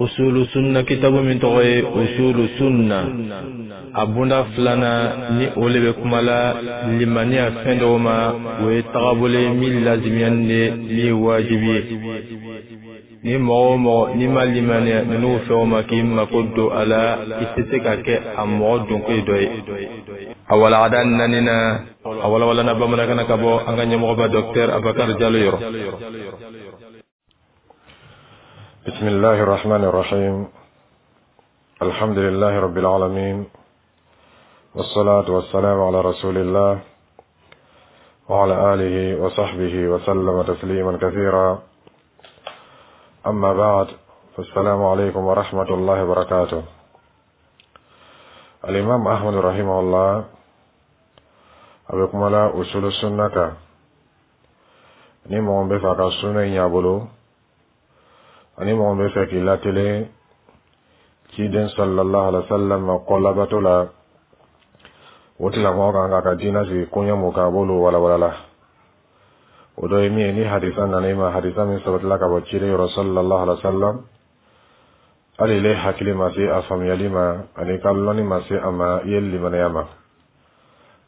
Usulu sunna kitabu min tɔgɔ ye usulu sunna, a bunda filanan ni o le bɛ kuma la limaniya fɛn dɔw ma, o ye tagabolo ye min lazimiyani de, min ye wajibi ye. Ni mɔgɔ o mɔgɔ n'i ma limaniya ninnu fɛnw ma k'i mako don a la, i tɛ se ka kɛ a mɔgɔ donko dɔ ye. A walagada naaninan, a walawalana bamanankan na ka bɔ an ka ɲɛmɔgɔba Dɔkitɛri Abubakari Jalo yɔrɔ. بسم الله الرحمن الرحيم. الحمد لله رب العالمين، والصلاة والسلام على رسول الله وعلى آله وصحبه وسلم تسليما كثيرا. أما بعد، فالسلام عليكم ورحمة الله وبركاته. الإمام أحمد رحمه الله a bɛ kuma la usulu sunna kan. Ni mɔgɔ bɛ fɛ a ka sunna in y'a bolo, ani mɔgɔ bɛ fɛ k'i latelen ciden sallallahu alaihi wa sallam kɔ labato la, o tigilamɔgɔ kan k'a ka diinɛ sigi koɲɛ mun kan, a b'olu walawala la. O dɔ ye min ye, ni hadisa nana i ma, hadisa min sabatila ka bɔ ciden yɔrɔ sallallahu alaihi wa sallam, hali ile hakili ma se a faamuyali ma ani ka lɔnni ma se a ma, i ye limaniya ma,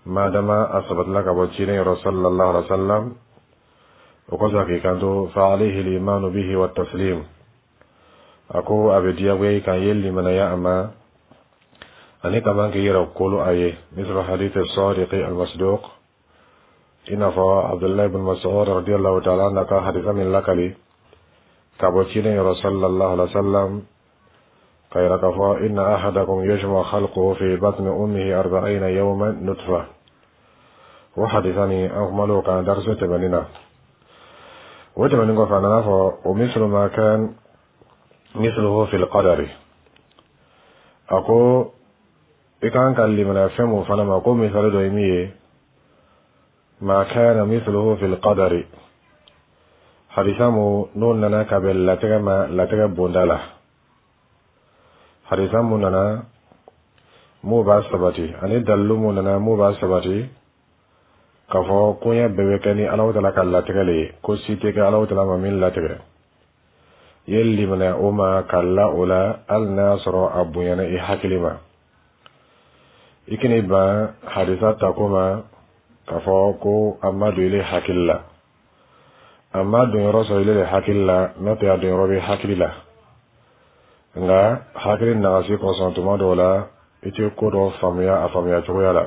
madama a sabatila ka bɔ ciden yɔrɔ sallallahu alaihi wa sallam. O kɔsɔn k'i kanto fa alayhi al-imanu bihi wa taslim, a ko a bɛ diyagoya i kan i ye limanaya a ma ani ka man k'i yɛrɛ kolo a ye. Misal hadith as-sadiq al-masduq, i n'a fɔ Abdullahi ibn Mas'ud radiyallahu ta'ala anhu ka hadisa min lakali ka bɔ ciden yɔrɔ sallallahu alaihi wa sallam, ka yira k'a fɔ inna ahadakum yujma khalquhu fi batni ummihi 40 yawman nutfa. O hadisa nin, an kumal'o kan dariso tɛmɛnin na. O tɛmɛnen kɔfɛ, a nana fɔ o mislu ma kan misluhu fil qadari, a ko i kan ka limaniya fɛn mun fana ma, ko misali dɔ ye min ye, ma kana misluhu fil qadari, hadisa mu n'o nana ka bɛn latigɛ ma, latigɛ bonda la, hadisa mun nana mun b'a sabati ani dalilu mun nana mun b'a sabati k'a fɔ koɲɛ bɛɛ bɛ kɛ ni Alahu taala ka latigɛ le ye, ko si tɛ kɛ Alahu taala ma min latigɛ. I ye limaniya o ma ka la o la, hali n'a y'a sɔrɔ a bonyana i hakili ma. I kana ban hadisa tako ma k'a fɔ ko a ma don ile hakili la. A ma don yɔrɔ sɔrɔ ile de hakili la, n'o tɛ a don yɔrɔ bɛ hakili la, nka hakili nagasi kosɔn, tuma dɔw la i tɛ ko dɔ faamuya a faamuya cogoya la.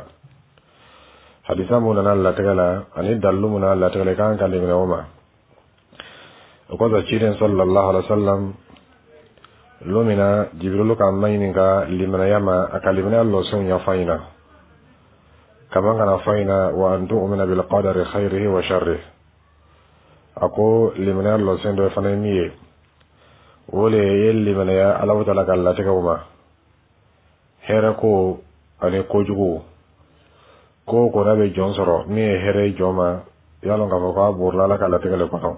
Hadisa mun nana latigɛ la ani dalilu mun nana latigɛ la, i kan ka limaniya o ma. O kɔfɛ, ciden sallallahu alaihi wa sallam, lon min na Jibirilu k'a maɲininka limanaya ma, a ka limanaya lɔsenw ɲɛfɔ a ɲɛna kaman kana fɔ a ɲɛna wa an tu'mina bil qadari khayrihi wa sharrihi. A ko limanaya lɔsen dɔ fana ye min ye, o le ye limanaya Alahu taala ka latigɛw ma, hɛrɛ ko ani kojugu ko o ko n'a bɛ jɔn sɔrɔ, min ye hɛrɛ ye jɔn ma, i y'a lɔn k'a fɔ k'a borila Ala ka latigɛ le kɔnɔ.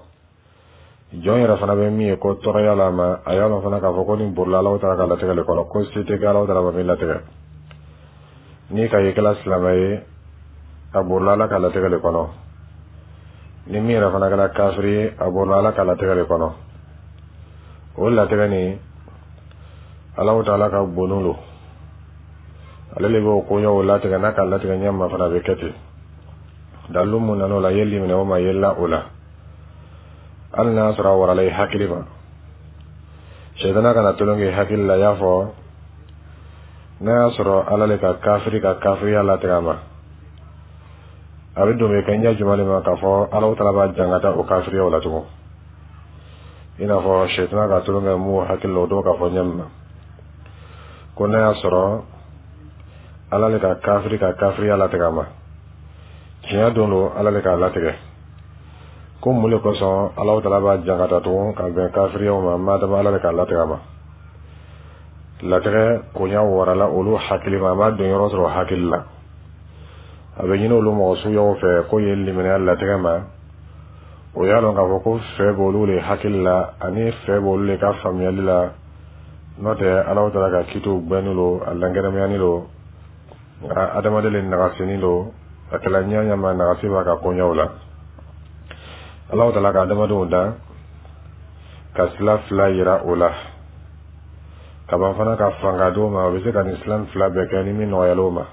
Jɔn yɛrɛ fana bɛ min ye ko tɔɔrɔya la ma, a y'a lɔn fana k'a fɔ ko nin borila Alahu taala ka latigɛ le kɔnɔ, ko se tɛ kɛ Alahu taala ma min latigɛ. N'i ka ye kɛla silamɛ ye, a borila Ala ka latigɛ le kɔnɔ. Ni min yɛrɛ fana kɛra kafiri ye, a borila Ala ka latigɛ le kɔnɔ. O latigɛ nin, Alahu taala ka bonu lo, ale le b'o koɲɛw latigɛ, n'a ka latigɛ ɲɛ ma fana, a bɛ kɛ ten. Dalilu mun nana o la, i ye limaniya o ma, i ye la o la, hali n'a sɔrɔ a warala i hakili ma. Sɛtana kana tolon kɛ i hakili la, i y'a fɔ n'a y'a sɔrɔ Ala le ka kafiri ka kafiriya latigɛ a ma, a bɛ don bɛ kɛ ɲɛ jumɛn de ma k'a fɔ Alahu taala b'a jangata o kafiriyaw la tugun? I n'a fɔ sɛtana ka tolon kɛ mun hakili la, o dɔw k'a fɔ ɲɛ min na ko n'a y'a sɔrɔ Ala le ka kafiri ka kafiriya latigɛ a ma, tiɲɛ don don Ala le k'a latigɛ, ko mun le kosɔn Alahu taala b'a jangata tugun ka bɛn kafiriyaw ma, madama Ala le k'a latigɛ a ma? Latigɛ koɲa warala olu hakili ma, a ma don yɔrɔ sɔrɔ hakili la. A bɛ ɲini olu mɔgɔ suguyaw fɛ ko ye limaniya latigɛ ma, o y'a lɔn k'a fɔ ko fɛ b'olu le hakili la ani fɛ b'olu le ka faamuyali la, n'o tɛ Alahu taala ka kitiw gbɛnni lo, a lankɛnɛmayani lo, nka adamaden le nagasini lo. A kɛla ɲɛ ɲɛ ma, nagasi b'a ka koɲɛw la. Alahu taala ka adamadenw dan ka sila fila yira o la. Ka ban fana ka fanga d'o ma, o bɛ se ka nin sila fila bɛɛ kɛ ni min nɔgɔyala o ma.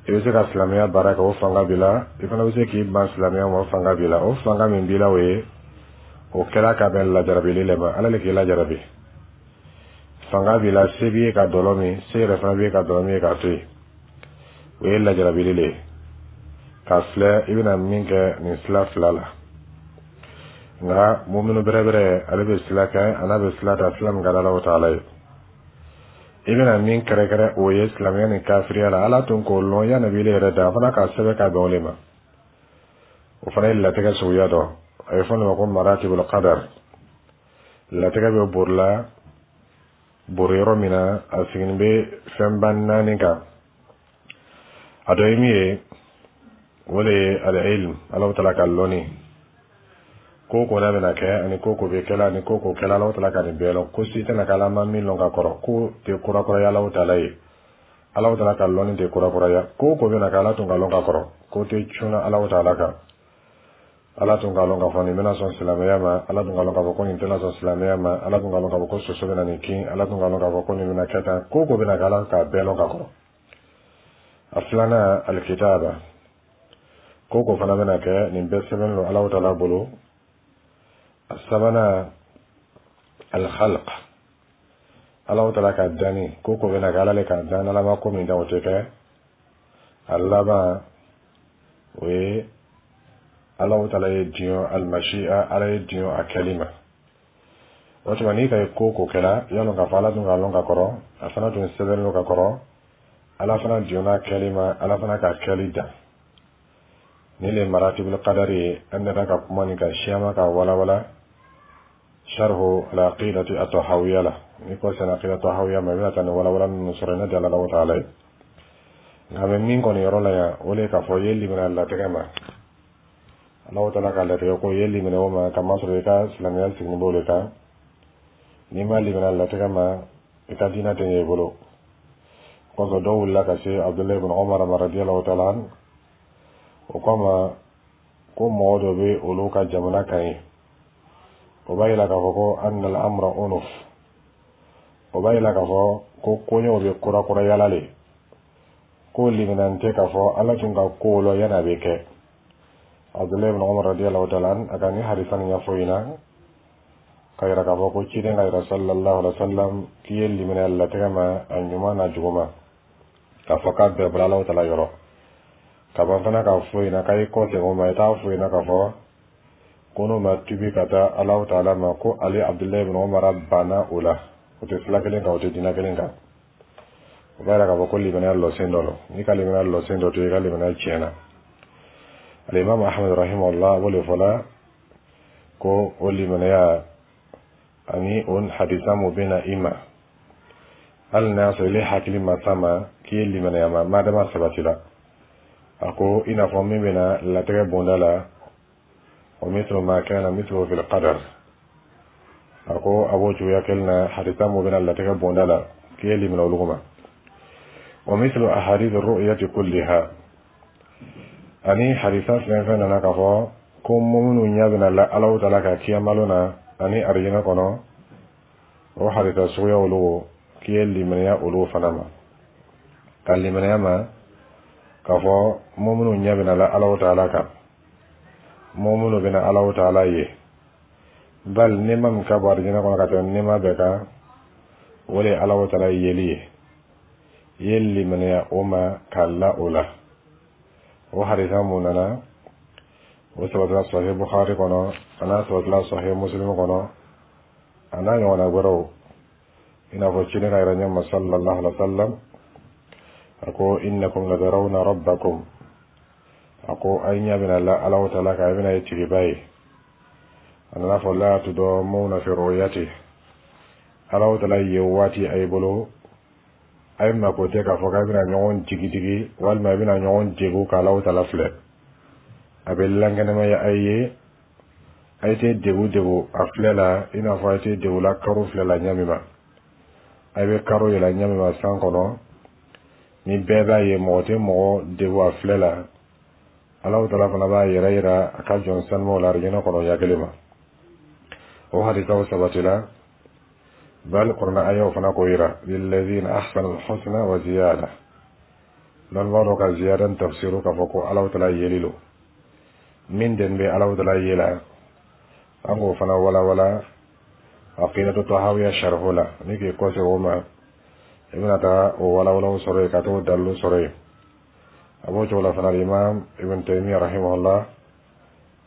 I bɛ se ka silamɛya baara kɛ, o fanga b'i la. I fana bɛ se k'i ban silamɛya ma, o fanga b'i la. O fanga min b'i la, o ye o kɛra ka bɛn lajarabili le ma. Ala le k'i lajarabi. Fanga b'i la, se b'i ye ka dɔlɔ min, se yɛrɛ fana b'i ye ka dɔlɔ min ye k'a to yen. O ye lajarabili le ye, k'a filɛ i bɛna min kɛ nin sila fila la. Nka muminu bɛrɛbɛrɛ, ale bɛ sila kɛ, a n'a bɛ sila ta, sila min ka di Alahu taala ye. I bɛna min kɛrɛkɛrɛ, o ye silamɛya ni kafiriya la. Ala tun k'o lɔn yanni b'ile yɛrɛ da. A fana k'a sɛbɛn ka bɛn o le ma. O fana ye latigɛ suguya dɔ. A bɛ fɔ o ma ko maratibul qadar. Latigɛ bɛ borila bori yɔrɔ min na, a siginin bɛ fɛnba naani kan. A dɔ ye min ye, o de ye al-ilm, Alahu taala ka lɔnni. Ko ko n'a bɛna kɛ, ani ko ko bɛ kɛla, ani ko ko kɛla, Alahu taala ka nin bɛɛ lɔn. Ko si tɛna kɛ Ala ma min lɔn ka kɔrɔ. Ko tɛ kurakuraya Alahu taala ye. Alahu taala ka lɔnni tɛ kurakuraya. Ko ko bɛna kɛ, Ala tun ka lɔn ka kɔrɔ. Ko tɛ cunna Alahu taala kan. Ala tun k'a lɔn k'a fɔ nin bɛna sɔn silamɛya ma. Ala tun k'a lɔn k'a fɔ ko nin tɛna sɔn silamɛya ma. Ala tun k'a lɔn k'a fɔ ko soso bɛna nin kin. Ala tun k'a lɔn k'a fɔ ko nin bɛna kɛ tan. Ko ko bɛna kɛ, Ala k'a bɛɛ lɔn ka kɔrɔ. A filanan, alikitaba. Ko ko fana bɛna kɛ, nin bɛɛ sɛbɛn don Alahu taala bolo. A sabanan, alkhalq, Alahu taala ka danni. Ko ko bɛna kɛ, Ala le k'a dan. Ala ma ko min dan, o tɛ kɛ. A laban, o ye Alahu taala ye diɲɛ, almashia, Ala ye diɲɛ a kɛli ma. O tuma, n'i ka ye ko ko kɛra, y'a lɔn k'a fɔ Ala tun k'a lɔn ka kɔrɔ, a fana tun sɛbɛnnen don ka kɔrɔ, Ala fana diɲɛna kɛli ma, Ala fana ka kɛli dan. Ni le maratibul qadari ye. An nana ka kuma nin kan siyama ka walawala sharhu al-aqidati at-tahawiyya la. Ni ko sera aqida tahawiyya ma, i bɛna taa nin walawala ninnu sɔrɔ yen. Ne di Ala taala ye. Nka a bɛ min kɔni yɔrɔ la yan, o de ye k'a fɔ i ye limaniya latigɛ ma, Alahu taala ka latigɛ ko i ye limaniya o ma, kamasɔrɔ i ka silamɛya siginin b'o de kan. N'i ma limaniya latigɛ ma, i ka diinɛ tɛ ɲɛ i bolo. Kɔsɔn dɔw wulila ka se Abdulayi ibn Umar ma radiyallahu taala an. O ko a ma ko mɔgɔ dɔ bɛ olu ka jamana kan ye, o b'a yira k'a fɔ ko anna al-amra unuf. O b'a yira k'a fɔ ko koɲɛw bɛ kurakurayala le, ko limaniya tɛ k'a fɔ Ala tun ka kow lɔn yanni a bɛ kɛ. Abdulayi ibn Umar radiyallahu taala an, a ka ni hadisa nin ɲɛfɔ ɲɛna ka yira k'a fɔ ko ciden ka yira sallallahu alaihi wa sallam k'i ye limaniya latigɛ ma, a ɲuman n'a juguman, k'a fɔ k'a bɛɛ bɔra Alahu taala yɔrɔ. Ka ban fana k'a fɔ ɲɛna k'a y'i kɔ segin o ma, i t'a fɔ ɲɛna k'a fɔ ko n'o ma tubi ka taa Alahu taala ma, ko ale Abdulayi ibn Umar banna o la. O tɛ sila kelen kan, o tɛ diinɛ kelen kan. O b'a yira k'a fɔ ko limaniya lɔsen dɔ don. N'i ka limaniya lɔsen dɔ to, i ka limaniya tiɲɛna. Alimami Ahmed rahimahullah, o de fɔla ko o limaniya ani o hadisa mun bɛ na i ma, hali n'a y'a sɔrɔ ile hakili ma s'a ma k'i ye limaniya ma, madama sabatila. A ko i n'a fɔ min bɛ na latigɛ bonda la, wa mithlu ma kana mithlu fil qadar. A ko a b'o cogoya kelen na, hadisa mun bɛ na latigɛ bonda la, k'i ye limaniya olu ma. Wa mithlu ahadith ru'yati kulliha, ani hadisa fɛn fɛn nana k'a fɔ ko mɔminnu ɲɛ bɛna la Alahu taala ka kiyamalo na ani arijinɛ kɔnɔ, o hadisa suguya olu, k'i ye limaniya olu fana ma, ka limaniya ma k'a fɔ mɔminnu ɲɛ bɛna la Alahu taala kan, mɔminnu bɛna Alahu taala ye. Bali nɛɛma min ka bon arijinɛ kɔnɔ ka tɛmɛ nɛɛma bɛɛ kan, o de ye Alahu taala yeli ye. I ye limaniya o ma k'a la o la. O hadisa mun nana, o sabatila Sahih Bukhari kɔnɔ, a n'a sabatila Sahih Muslim kɔnɔ, a n'a ɲɔgɔnna wɛrɛw. I n'a fɔ ciden ka yɛrɛ ɲɛ ma sallallahu alaihi wa sallam, a ko innakum latarawna rabbakum. A ko a ɲɛ bɛna la Alahu taala kan, a bɛna ye tigiba ye. A nana fɔ la tudamuna fi ru'yati. Alahu taala ye waati a ye bolo, a ye mako tɛ k'a fɔ k'a bɛna ɲɔgɔn jigidigi walima a bɛna ɲɔgɔn degun ka Alahu taala filɛ. A bɛ lankɛnɛmaya a ye, a ye tɛ degun degun a filɛ la, i n'a fɔ a ye tɛ degun la karo filɛ la ɲɛ min ma. A bɛ karo yɛlɛ ɲɛ min ma san kɔnɔ, ni bɛɛ b'a ye, mɔgɔ tɛ mɔgɔ degun a filɛ la. Alahu taala fana b'a yɛrɛ yira a ka jɔn sanumaw la arijinɛ kɔnɔ ɲɛ kelen ma. O hadisaw sabatila. Bal kurana ayaw fana k'o yira, lillazina ahsanu alhusna wa ziyada. Lɔnnibaa dɔ ka ziyada tafsiru k'a fɔ ko Alahu taala yeli lo. Min den bɛ Alahu taala ye la, an k'o fana walawala aqidatu tahawiya sharhu la. Ni k'i kɔsegin o ma, i bɛna taa o walawalaw sɔrɔ yen, ka t'o dalilu sɔrɔ yen. A b'o cogo la fana, Imam Ibn Taymiya rahimahullah,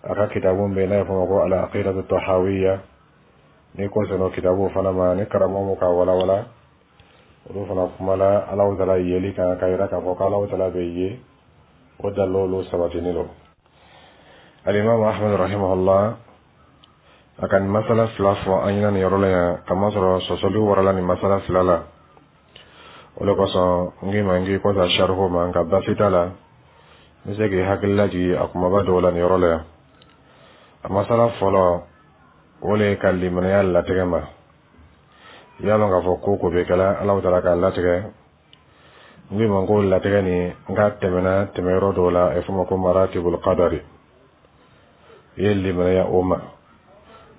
a ka kitabu bɛ yen n'a ye fɔ ma ko al aqidatu tahawiya. Ni kɔsegin o kitabu fana ma, ni karamɔgɔ mun k'a walawala, olu fana kumala Alahu taala yeli kan, ka yira k'a fɔ ko Alahu taala bɛ ye. O dalilu sabatinin don. Alimami Ahmed rahimahullah, a ka nin masala fila fɔ an ɲɛna nin yɔrɔ la yan, kamasɔrɔ sɔsɔli warala nin masala fila la. O de kosɔn n k'i ma n k'i kɔsa sarihu ma, nka baasi t'a la, n bɛ se k'i hakili lajigin a kumaba dɔw la nin yɔrɔ la yan. A masala fɔlɔ, o le ye ka limaniya latigɛ ma. I y'a lɔn k'a fɔ ko ko bɛ kɛla, Alahu taala k'a latigɛ. N k'i ma ko latigɛ nin, n k'a tɛmɛna tɛmɛyɔrɔ dɔw la, a ye fɔ ma ko maratibul qadari. I ye limaniya o ma.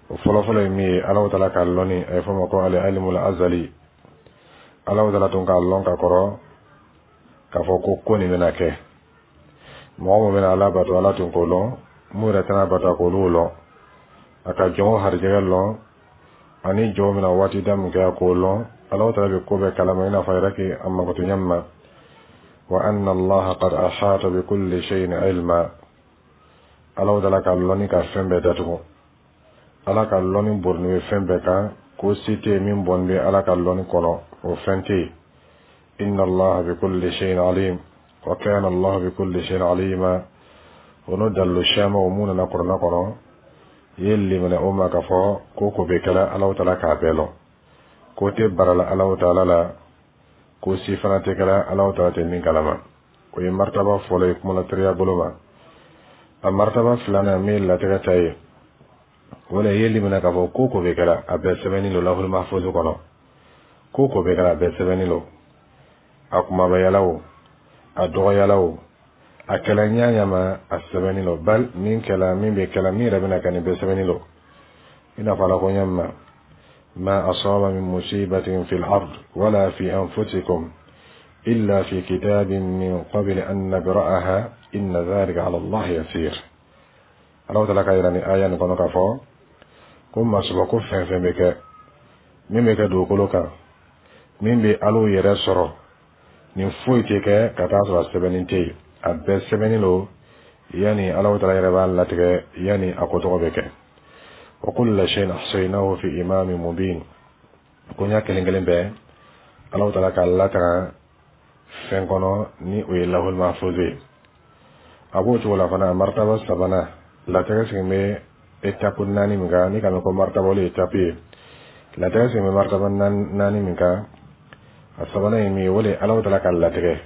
O fɔlɔfɔlɔ ye min ye, Alahu taala k'a lɔnni, a ye fɔ ma ko al ilmul azali. Alahu taala tun k'a lɔn ka kɔrɔ k'a fɔ ko ko nin bɛna kɛ. Mɔgɔ min bɛna Ala bato, Ala tun k'o lɔn. Mun yɛrɛ tɛna bato, a k'olu lɔn. A ka jɔnw harijɛgɛ lɔn, ani jɔnw bɛna waati da min kɛ, a k'o lɔn. Alahu taala bɛ ko bɛɛ kalama, i n'a fɔ a yɛrɛ k'i a makoto ɲɛ min ma: wa anna allaha qad ahata bi kulli shay'in ilma. Alahu taala ka lɔnni ka fɛn bɛɛ datugu. Ala ka lɔnni borilen bɛ fɛn bɛɛ kan, ko si tɛ yen min bɔnnen bɛ Ala ka lɔnni kɔnɔ, o fɛn tɛ yen. Inna allaha bi kulli shay'in alim wa kana allahu bi kulli shay'in alima. O n'o dalilu siyaman o mun nana kuranɛ kɔnɔ, i ye limaniya o ma k'a fɔ ko ko bɛ kɛla, Alahu taala k'a bɛɛ lɔn. Ko tɛ barala Alahu taala la, ko si fana tɛ kɛla Alahu taala tɛ min kalama. O ye martaba fɔlɔ ye kumala teriya bolo ma. A martaba filanan, min ye latigɛ ta ye, o la i ye limaniya k'a fɔ ko ko bɛ kɛla, a bɛɛ sɛbɛnni don lahul mahfuz kɔnɔ. Ko ko bɛ kɛla, a bɛɛ sɛbɛnni don. A kumabayala o, a dɔgɔyala o, a kɛla ɲa ɲa ma, a sɛbɛnni don. Bal min kɛla, min bɛ kɛla, min yɛrɛ bɛna kɛ, nin bɛɛ sɛbɛnni don. I n'a fɔ Ala ko ɲɛ ma: ma asaba min musibatin fil ard wala fi anfusikum illa fi kitabin min qabli an nabra'aha inna dhalika ala Allah yasir. Ala taala ka yira ni aya nin kɔnɔ k'a fɔ ko masuba ko fɛn fɛn bɛ kɛ, min bɛ kɛ dugukolo kan, min bɛ Alaw yɛrɛ sɔrɔ, nin foyi tɛ kɛ ka taa sɔrɔ a sɛbɛnni tɛ yen. A bɛɛ sɛbɛnni don yanni Alahu taala yɛrɛ b'a latigɛ, yanni a ko tɔgɔ bɛ kɛ. Wa kulla shay'in ahsaynahu fi imamin mubin. Ko ɲa kelen kelen bɛɛ, Alahu taala k'a lataga fɛn kɔnɔ, ni o ye lahul mahfuz ye. A b'o cogo la fana, a martaba sabanan, latigɛ sigin bɛ étape naani min kan, ni ka mɛn ko martaba, olu ye étape ye. Latigɛ sigin bɛ martaba naani min kan, a sabanan ye min ye, o de ye Alahu taala ka latigɛ.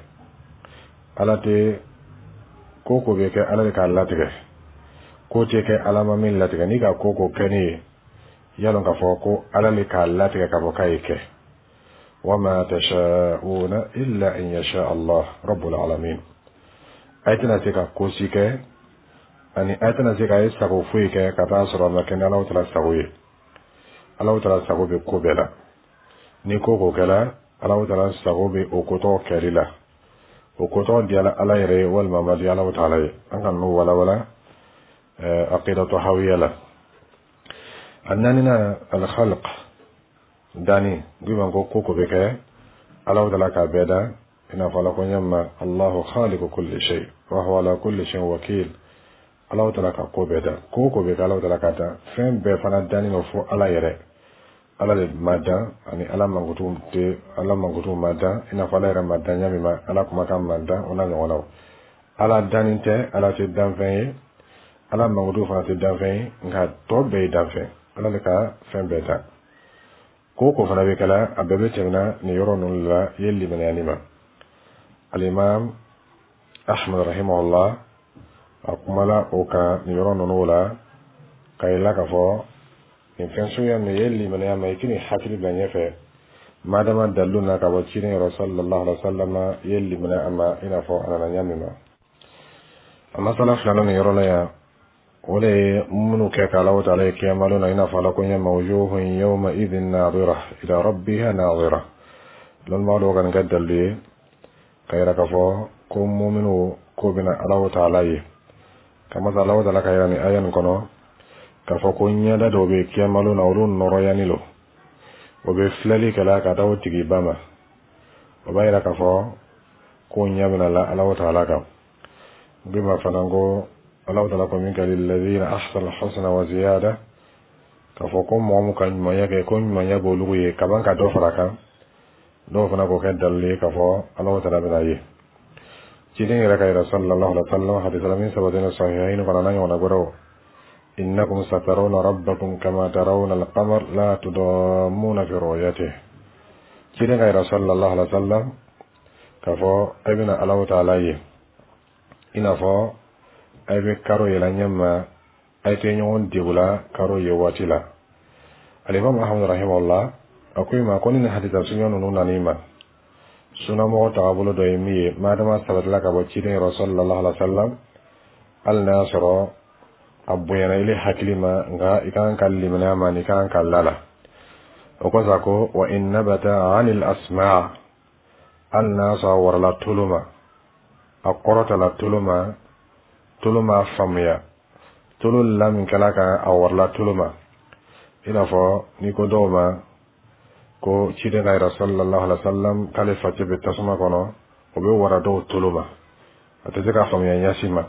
Ala tɛ ko ko bɛ kɛ, Ala de k'a latigɛ. Ko tɛ kɛ Ala ma min latigɛ. N'i ka ko ko kɛ ne ye, i y'a dɔn k'a fɔ ko Ala de k'a latigɛ k'a fɔ k'a ye kɛ. Wa ma tasha'una illa an yasha Allah rabbul alamin. A tɛna se ka ko si kɛ, ani a tɛna se ka ye sago foyi kɛ ka taa sɔrɔ a ma kɛ ni Alahu taala sago ye. Alahu taala sago bɛ ko bɛɛ la. Ni ko ko kɛla, Alahu taala sago bɛ o ko tɔgɔ kɛli la. O ko tɔgɔ diyala Ala yɛrɛ ye walima a ma diya Alahu taala ye, an ka n'o walawala aqidatu hawiya la. A naaninan, al-khalq, danni. N ko ko ko bɛ kɛ, Alahu taala k'a bɛɛ da, i n'a fɔ Ala ko ɲɛ ma: Allahu khaliqu kulli shay wa huwa ala kulli shay'in wakil. Alahu taala ka ko bɛɛ da. Ko ko bɛ kɛ, Alahu taala ka dan. Fɛn bɛɛ fana danni don fo Ala yɛrɛ. Ala de ma dan, ani Ala mankutu tɛ, Ala mankutu ma dan, i n'a fɔ Ala yɛrɛ ma dan ɲɛ min ma, Ala kumakan ma dan, o n'a ɲɔgɔnnaw. Ala danni tɛ, Ala tɛ danfɛn ye, Ala mankutu fana tɛ danfɛn ye, nka tɔ bɛɛ ye danfɛn. Ala de ka fɛn bɛɛ dan. Ko ko fana bɛ kɛla, a bɛɛ bɛ tɛmɛna nin yɔrɔ ninnu la. I ye limaniyani ma. Alimam Ahmad rahimahullah, a kumala o kan nin yɔrɔ ninnu la, ka yira k'a fɔ nin fɛn suguya ninnu ye limaniya ma, i k'i hakili bila ɲɛfɛ. Madama dalilu na ka bɔ ciden yɔrɔ sallallahu alaihi wa sallam, i ye limaniya a ma, i n'a fɔ a nana ɲɛ min ma. A masala filanan nin yɔrɔ la yan, O de ye minnu kɛ ka Alahu taala ye kiyama don na, i n'a fɔ Ala ko ɲɛ ma: wujuhun yawma idhin nadira ila rabbiha nadira. Lɔnnibaga dɔw ka nin kɛ dalilu ye ka yira k'a fɔ ko muminu ko bɛna Alahu taala ye, kamasa Alahu taala ka yira nin aya nin kɔnɔ k'a fɔ ko ɲɛda dɔw bɛ kiyama don na, olu nɔrɔyani lo, o bɛ filɛli kɛla ka taa o tigiba ma. O b'a yira k'a fɔ ko ɲɛ bɛna la Alahu taala kan. N ko ma fana ko Alahu taala ko min kɛ lilladhina ahsanu husna wa ziyada, k'a fɔ ko mɔgɔ mun ka ɲumanya kɛ, ko ɲumanya b'olu ye kaban ka dɔ fara kan. Dɔw fana k'o kɛ dalilu ye k'a fɔ Alahu taala bɛna ye. Ciden yɛrɛ ka yira sallallahu alaihi wa sallam, hadisa la min sabatinen sahihaini kɔnɔ n'a ɲɔgɔnna wɛrɛw: innakum satarawna rabbakum kama tarawna alqamar la tudammuna fi ru'yatihi. Ciden ka yira sallallahu alaihi wa sallam k'a fɔ a bɛna Alahu taala ye i n'a fɔ a bɛ karo yɛlɛ ɲɛ ma, a tɛ ɲɔgɔn degula karo ye waati la. Alimami Ahmad rahimahullah a ko i ma ko ni nin hadisa sunya ninnu nan'i ma, sunamɔgɔ tagabolo dɔ ye min ye, madama sabatila ka bɔ ciden yɔrɔ sallallahu alaihi wa sallam, hali n'a y'a sɔrɔ a bonyana ile hakili ma, nka i kan ka limaniya ma, ni kan ka la la. O kɔsɔn a ko: wa in nabata anil asmaa, hali n'a y'a sɔrɔ a warala tolo ma, a kɔrɔtala tolo ma, tolo m'a faamuya, tolo la min kɛla kan, a warala tolo ma. I n'a fɔ n'i ko dɔw ma ko ciden ka yɛrɛ sallallahu alaihi wa sallam k'ale facɛ bɛ tasuma kɔnɔ, o bɛ wara dɔw tolo ma, a tɛ se k'a faamuya ɲɛsi ma.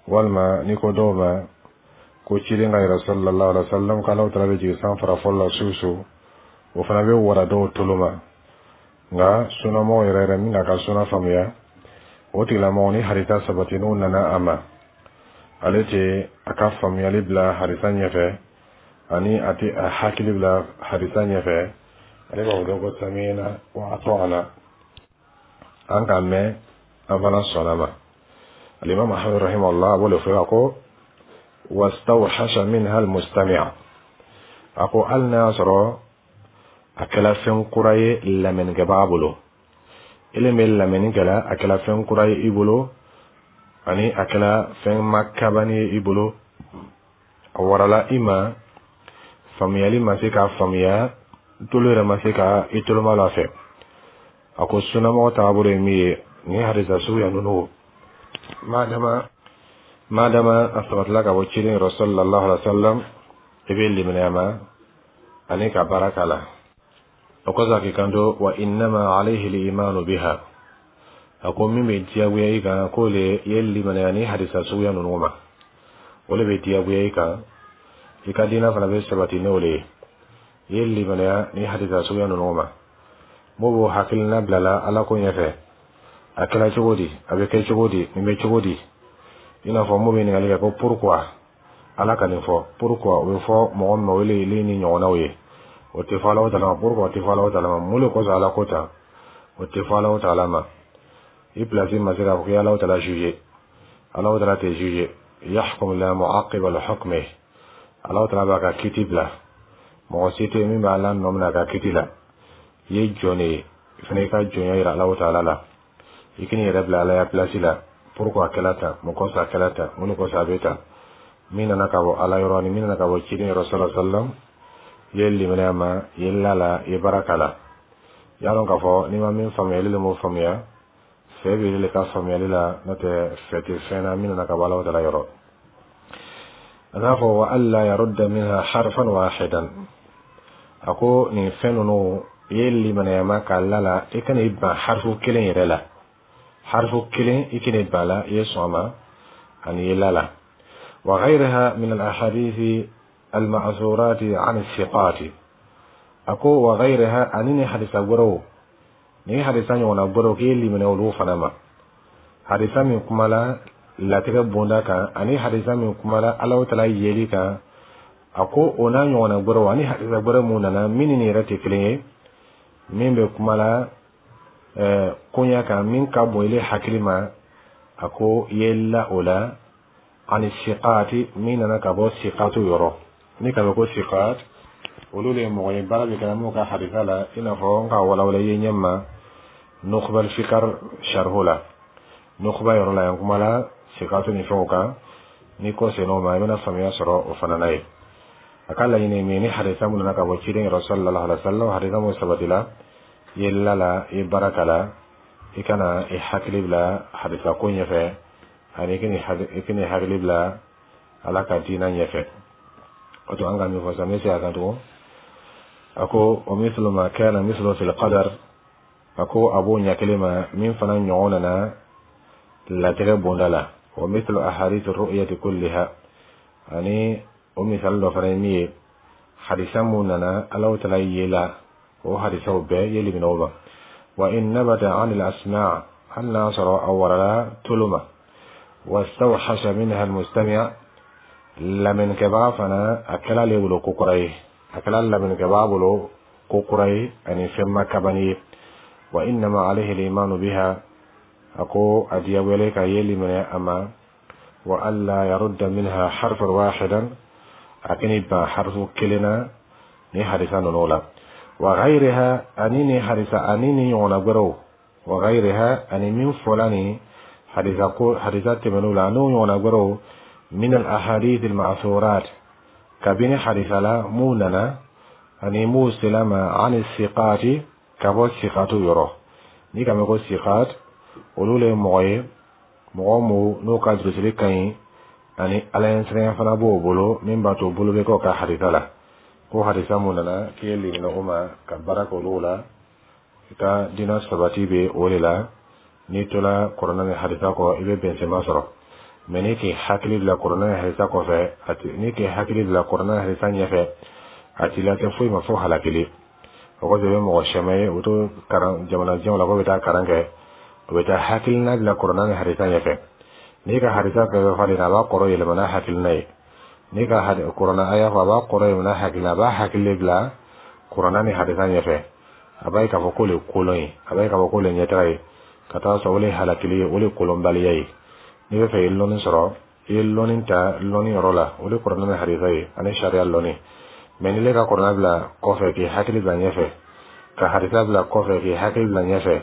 Walima n'i ko dɔw ma ko ciden ka yɛrɛ sallallahu alaihi wa sallam k'Alahu taala bɛ jigin san fara fɔlɔ la su su, o fana bɛ wara dɔw tolo ma. Nka sunamɔgɔ yɛrɛ yɛrɛ min k'a ka suna faamuya, o tigilamɔgɔ ni hadisa sabati n'o nana a ma, ale tɛ a ka faamuyali bila hadisa ɲɛfɛ, ani a tɛ a hakili bila hadisa ɲɛfɛ. Ale b'a fɔ dɔrɔn ko sami'na wa ata'na, an k'a mɛn, an fana sɔnna ma. Alimami Ahmad rahimahullah a b'o de fɔ, a ko: wastawhasha minha almustami'. A ko hali n'a y'a sɔrɔ a kɛla fɛn kura ye lamɛnnikɛbaga bolo, ele bɛ lamɛnni kɛla, a kɛla fɛn kura ye i bolo, ani a kɛla fɛn makabani ye i bolo, a warala i ma, faamuyali ma se k'a faamuya, tolo yɛrɛ ma se ka i toloma la fɛ, a ko sunamɔgɔ taabolo ye min ye, nin hadisa suguya ninnu, madama a sabatila ka bɔ ciden yɔrɔ sallallahu alaihi wa sallam, i bɛ limaniya ma ani ka baara k'a la. O kɔsɔn a k'i kanto: wa innama alayhi al-imanu biha. A ko min bɛ diyagoya i kan, k'o le ye limaniya ni hadisa suguya ninnu ma, o le bɛ diyagoya i kan, i ka diinɛ fana bɛ sabati n'o le ye, i ye limaniya ni hadisa suguya ninnu ma. M'o b'o hakilina bilala Ala ko ɲɛfɛ, a kɛra cogo di, a bɛ kɛ cogo di, nin bɛ cogo di? I n'a fɔ mun bɛ ɲininkali kɛ ko pourquoi Ala ka nin fɔ, pourquoi? O bɛ fɔ mɔgɔ min ma, o le ni ɲɔgɔnnaw ye. O tɛ fɔ Alahu taala ma. Pourquoi o tɛ fɔ Alahu taala ma. Mun de kosɔn Ala ko tan? O tɛ fɔ Alahu taala ma. I place ma se k'a fɔ k'i ye Alahu taala juger. Alahu taala tɛ juger. Yahkum la mu'aqqiba li hukmihi. Alahu taala b'a ka kiti bila, mɔgɔ si tɛ min b'a la nɔ minɛ a ka kiti la. I ye jɔn de ye, i fana i ka jɔnya yira Alahu taala la, i k'i yɛrɛ bila Ala ya place la. Pourquoi a kɛla tan? Mun kosɔn a kɛla tan? Mun de kosɔn a bɛ tan? Min nana ka bɔ Ala yɔrɔ ni min nana ka bɔ ciden yɔrɔ sallallahu alaihi wa sallam, i ye limaniya ma, i ye la la, i ye baara k'a la. I y'a dɔn k'a fɔ n'i ma min faamuya, ile le m'o faamuya. Fɛ bɛ ile ka faamuyali la, n'o tɛ fɛ tɛ fɛn na min nana ka bɔ Alahu taala yɔrɔ. A n'a fɔ: wa alla yarudda minha harfan wahidan. A ko nin fɛn ninnu, i ye limaniya ma k'a la la, i kana i ban harifu kelen yɛrɛ la, harifu kelen i kana i ban la, i ye sɔn a ma ani i ye la la. Wa ghayriha min al ahadithi al ma'thurati an thiqati. A ko wa ghayriha, ani ni hadisa wɛrɛw, ni hadisa ɲɔgɔnna wɛrɛw, k'i ye limaniya olu fana ma, hadisa min kumala latigɛ bonda kan, ani hadisa min kumala Alahu taala yeli kan, a ko o n'a ɲɔgɔnna wɛrɛw, ani hadisa wɛrɛ mun nana min ni nin yɛrɛ tɛ kelen ye, min bɛ kumala koɲa kan min ka bon ile hakili ma, a ko i ye la o la, ani siqaati, min nana ka bɔ siqaatu yɔrɔ. Ni ka bɛ ko siqaat, olu de ye mɔgɔ ye baara bɛ kɛ mun ka hadisa la, i n'a fɔ n ka walawala i ye ɲɛ ma Nukhbal Fikar sharhu la, Nukhba yɔrɔ la yan kumala siqaatu ni fɛnw kan. N'i kɔ senn'o ma, i bɛna faamuya sɔrɔ o fana na ye. A ka laɲini ye min ye, ni hadisa mun nana ka bɔ ciden yɔrɔ sallallahu alaihi wa sallam, hadisa mun sabatila, i ye la la, i ye baara k'a la, i kana i hakili bila hadisa ko ɲɛfɛ, ani i kana i hakili bila Ala ka diina ɲɛfɛ. O to an ka min fɔ sisan, n bɛ segin a kan tugun. A ko o mithlu ma kana mithlu fil qadar, a ko a b'o ɲɛ kelen ma min fana ɲɔgɔn nana latigɛ bonda la, wa mithlu ahadith ru'yati kulliha. Ani o misali dɔ fana ye min ye, hadisa mun nana Alahu Taala ye la, o hadisaw bɛɛ ye liminɛw ma. Wa in nabata an al asma', hali n'a sɔrɔ a warala tolo ma, wastawhasha minha al mustami', lamɛnnikɛbaga fana a kɛla ale bolo ko kura ye, a kɛla lamɛnnikɛbaga bolo ko kura ye ani fɛn ma kabani ye. Wa innama alayhi al-imanu biha, a ko a diyagoyalen ka yeli minɛ a ma, wa alla yarudda minha harfan wahidan, a kini ban harfu kelen na ni hadisa ninnu la, wa ghayriha, ani ni hadisa ani ni ɲɔgɔnna wɛrɛw, wa ghayriha, ani min fɔla ni hadisa ko hadisa tɛmɛn'u la, n'o ɲɔgɔnna wɛrɛw, min al ahadith al ma'thurat, kabini hadisa la mun nana ani mun sela ma, ani siqati, ka bɔ siqatu yɔrɔ. N'i ka mɛn ko siqat, olu le ye mɔgɔ ye, mɔgɔ mu n'o ka durusili ka ɲi ani Ala ɲɛsiranya fana b'o bolo, min b'a to bolo bɛ kɛ o ka hadisa la. Ko hadisa mun nana k'i ye limina o ma ka baara kɛ olu la, i ka diinɛ sabati bɛ o de la. N'i tola Kɔrɔna ni hadisa kɔ, i bɛ bɛnsɛma sɔrɔ. Mɛ n'i k'i hakili bila Kɔrɔna ni hadisa kɔfɛ, n'i k'i hakili bila Kɔrɔna ni hadisa ɲɛfɛ, a t'i lase foyi ma fo halakili. O kɔfɛ, i bɛ mɔgɔ caman ye, u to karan jamanajanw la k'o bɛ taa karan kɛ, u bɛ taa hakilina bila Kɔrɔna ni hadisa ɲɛfɛ. N'i ka hadisa fɛn fɛn falen, a b'a kɔrɔ yɛlɛma n'a hakilina ye. N'i ka Kɔrɔna aya fɔ, a b'a kɔrɔ yɛlɛma n'a hakilina, a b'a hakili bila Kɔrɔna ni hadisa ɲɛfɛ. A b'a ye k'a fɔ k'o le kolon ye, a b'a ye k'a fɔ k'o le ɲɛtaga ye, ka taa sɔrɔ o le halakili ye, o le kolonbaliya ye. N'i bɛ fɛ i ye lɔnni sɔrɔ, i ye lɔnni ta lɔnni yɔrɔ la, o le Kɔrɔna ni hadisa ye ani sariya lɔnni. Mɛ n'i ka Kɔrɔna bila kɔfɛ k'i hakili bila ɲɛfɛ, ka hadisa bila kɔfɛ k'i hakili bila ɲɛfɛ,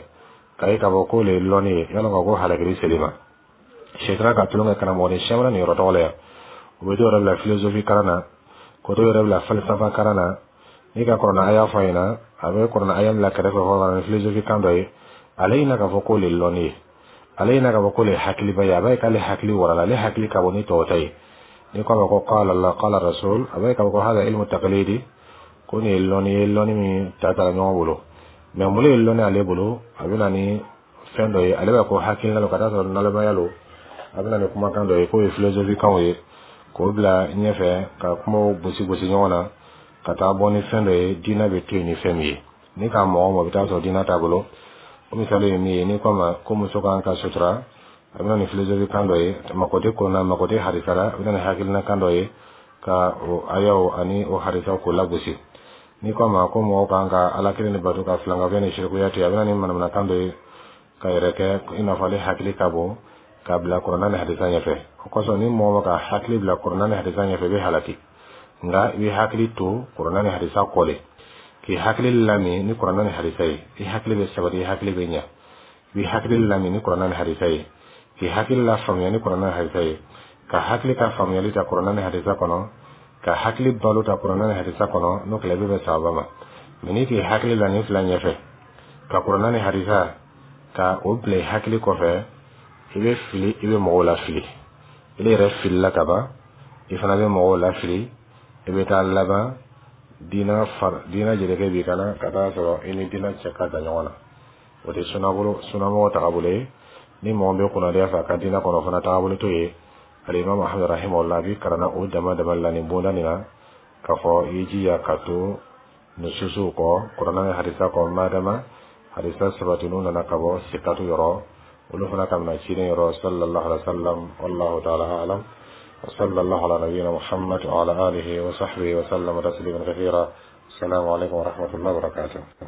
k'a ye k'a fɔ k'o le ye lɔnni ye, yala ka ko halakili seli ma. Sɛtana ka tulon kɛ karamɔgɔ ni caman nin yɔrɔ tɔgɔ la yan. U bɛ dɔw yɛrɛ bila philosophie kalan na, k'o dɔw yɛrɛ bila falsafa kalan na. N'i ka Kɔrɔna aya fɔ a ɲɛna, a bɛ Kɔrɔna aya bila kɛrɛfɛ fɔ ka na ni philosophie kan dɔ ye. Ale ɲina k'a fɔ k'o le lɔnni ye, ale ɲina k'a fɔ k'o le hakiliba ye. A b'a ye k'ale hakili warala, ale hakili ka bon ni tɔw ta ye. Ni ko a ma ko qala Allah, qala rasul, a b'a ye k'a fɔ ko hada ilmu taqlidi, ko nin ye lɔnni ye, lɔnni min ta tara ɲɔgɔn bolo. Mɛ mun ye lɔnni ale bolo? A bɛ na ni fɛn dɔ ye, ale b'a ko hakilina lo, ka taa sɔrɔ nalomaya lo. A bɛ na ni kumakan dɔ ye k'o ye philosophie kanw ye, k'o bila ɲɛfɛ ka kumaw gosi gosi ɲɔgɔn na ka taa bɔ ni fɛn dɔ ye, diinɛ bɛ to yen ni fɛn min ye. Ni k'a mɔgɔ mɔgɔ bɛ taa sɔrɔ diinɛ t'a bolo. O misali ye min ye, n'i ko a ma ko muso kan ka sutura, a bɛ na ni philosophie kan dɔ ye, mako tɛ kɔnɔna, mako tɛ hadisa la. A bɛ na ni hakilina kan dɔ ye ka o ayaw ani o hadisaw k'o lagosi. N'i ko a ma ko mɔgɔw kan ka Ala kelen de bato, ka filankafoya ni sirikuya to yen, a bɛ na ni manamanakan dɔ ye ka yɛrɛ kɛ i n'a fɔ ale hakili ka bon, k'a bila Kɔrɔna ni hadisa ɲɛfɛ. O kosɔn, ni mɔgɔ ma ka hakili bila Kɔrɔna ni hadisa ɲɛfɛ, i bɛ halaki. Nka i bɛ hakili to Kɔrɔna ni hadisa kɔ de, k'i hakili lami ni Kɔrɔna ni hadisa ye, i hakili bɛ sabati, i hakili bɛ ɲɛ. I bɛ hakili lami ni Kɔrɔna ni hadisa ye, k'i hakili la faamuya ni Kɔrɔna ni hadisa ye, ka hakili ka faamuyali ta Kɔrɔna ni hadisa kɔnɔ, ka hakili balo ta Kɔrɔna ni hadisa kɔnɔ, n'o kɛla, i bɛ bɛn sababa ma. Mɛ n'i k'i hakili la nin fila ɲɛfɛ, ka Kɔrɔna ni hadisa ka o bila i hakili kɔfɛ, i bɛ fili, i bɛ mɔgɔw la fili. I yɛrɛ filila ka ban, i fana bɛ mɔgɔw la fili. I bɛ taa laban diinɛ far diinɛ jelikɛ b'i kana ka taa sɔrɔ i ni diinɛ cɛ ka jan ɲɔgɔn na. O tɛ sunabolo sunamɔgɔ tagabolo ye. Ni mɔgɔ bɛ kunnadiya fɛ a ka diinɛ kɔnɔ, fana tagabolo t'o ye. Alimami Muhamad rahimahullah bi karanna o dama dama la nin bonda nin na, k'a fɔ i jija ka to nususuw kɔ, Kuranɛ ni hadisa kɔ, madama hadisa sabatinu nana ka bɔ sikatu yɔrɔ, olu fana ka mina ciden yɔrɔ sallallahu alaihi wasallam. Wallahu ta'ala a'lam. وصلى الله على نبينا محمد وعلى آله وصحبه وسلم تسليما كثيرا. السلام عليكم ورحمة الله وبركاته.